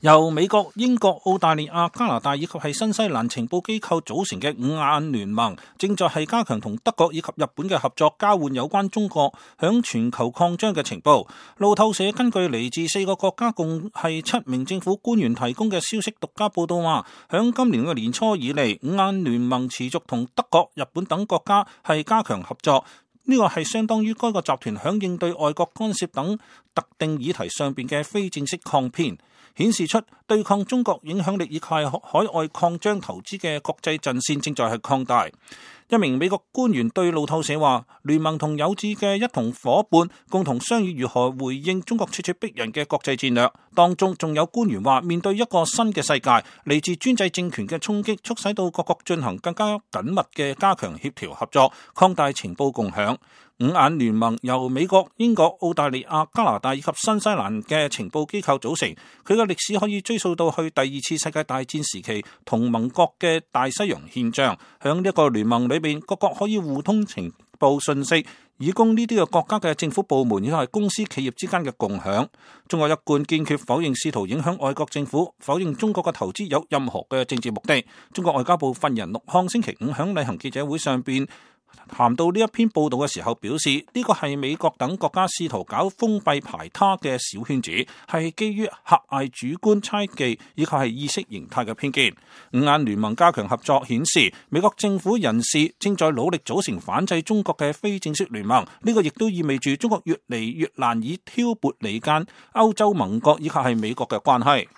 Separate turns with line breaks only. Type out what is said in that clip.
由美國、英國、澳大利亞、加拿大以及係新西蘭情報機構組成嘅五眼聯盟，正在係加強同德國以及日本嘅合作，交換有關中國響全球擴張嘅情報。路透社根據嚟自4個國家共係7名政府官員提供嘅消息，獨家報道話，響今年嘅年初以嚟，五眼聯盟持續同德國、日本等國家係加強合作。呢個係相當於該個集團響應對外國干涉等特定議題上邊嘅非正式抗辯，顯示出對抗中國影響力以及海外擴張投資嘅國際陣線正在係擴大。一名美國官員對路透社話，聯盟同有志嘅一同夥伴共同商議如何回應中國咄咄逼人嘅國際戰略。當中仲有官員話，面對一個新嘅世界，嚟自專制政權嘅衝擊，促使到各國進行更加緊密嘅加強協調合作，擴大情報共享。五眼聯盟由美國、英國、澳大利亞、加拿大以及新西蘭嘅情報機構組成，佢嘅歷史可以追溯到去第2次世界大戰時期同盟國嘅大西洋憲章。響呢一個聯盟裏邊，各國可以互通情報信息，以供呢啲嘅國家嘅政府部門以及係公司企業之間嘅共享。中國一貫堅決否認試圖影響外國政府，否認中國嘅投資有任何嘅政治目的。中國外交部發言人陸慷星期5響例行記者會上邊談到呢一篇報道嘅時候表示，呢個係美國等國家試圖搞封閉排他嘅小圈子，係基於狹隘主觀猜忌以及係意識形態嘅偏見。五眼聯盟加強合作顯示，美國政府人士正在努力組成反制中國嘅非正式聯盟，呢個亦都意味住中國越嚟越難以挑撥離間歐洲盟國以及係美國嘅關係。